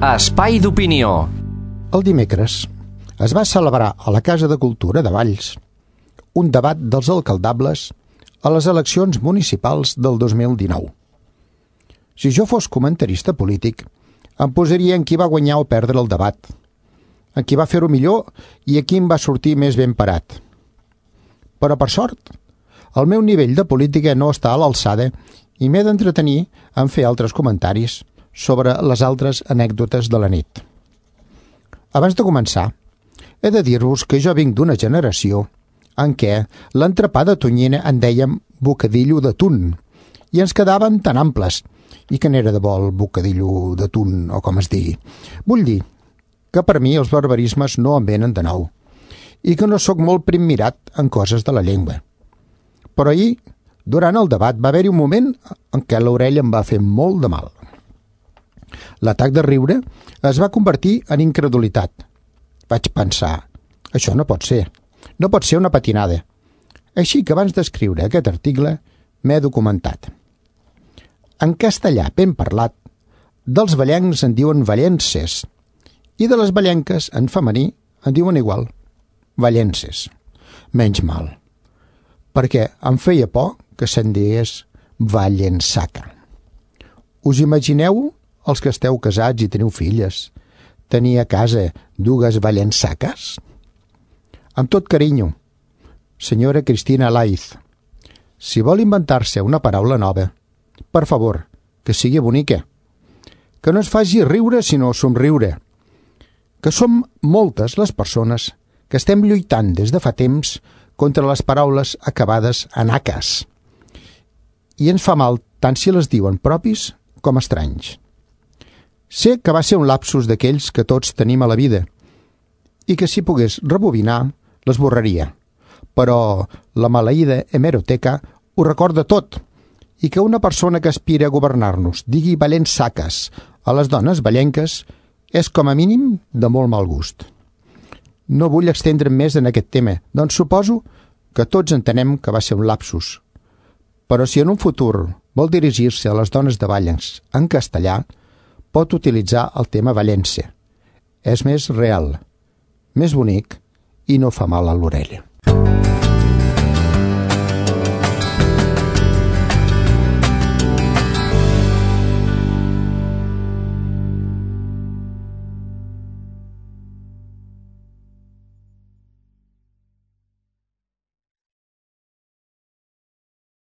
Espai d'opinió. El dimecres es va celebrar a la Casa de Cultura de Valls un debat dels alcaldables a les eleccions municipals del 2019. Si jo fos comentarista polític, em posaria en qui va guanyar o perdre el debat, en qui va fer-ho millor i a qui em va sortir més ben parat. Però, per sort, el meu nivell de política no està a l'alçada i m'he d'entretenir en fer altres comentaris sobre les altres anècdotes de la nit. Abans de començar, he de dir-vos que jo vinc d'una generació en què l'entrepà de tonyina en dèiem bocadillo de tun i ens quedaven tan amples. I que n'era de bo el bocadillo de tun, o com es digui. Vull dir que per mi els barbarismes no em venen de nou i que no sóc molt primmirat en coses de la llengua. Però ahir, durant el debat, va haver-hi un moment en què l'orella em va fer molt de mal. L'atac de riure es va convertir en incredulitat. Vaig pensar, això no pot ser. No pot ser una patinada. Així que abans d'escriure aquest article m'he documentat. En castellà ben parlat, dels vallencs en diuen vallenses i de les vallenques en femení en diuen igual, vallenses. Menys mal, perquè em feia por que se'n digués vallensaca. Us imagineu, els que esteu casats i teniu filles, tenir a casa dues vallensaques? Amb tot carinyo, senyora Cristina Laiz, si vol inventar-se una paraula nova, per favor, que sigui bonica, que no es faci riure sinó somriure, que som moltes les persones que estem lluitant des de fa temps contra les paraules acabades en aques, i ens fa mal tant si les diuen propis com estranys. Sé que va ser un lapsus d'aquells que tots tenim a la vida i que si pogués rebobinar l'esborraria, però la maleïda hemeroteca ho recorda tot i que una persona que aspira a governar-nos digui vallensaques a les dones vallenques és com a mínim de molt mal gust. No vull extendre'm més en aquest tema, doncs suposo que tots entenem que va ser un lapsus. Però si en un futur vol dirigir-se a les dones de Valls en castellà, pot utilitzar el tema vallense. És més real, més bonic i no fa mal a l'orella.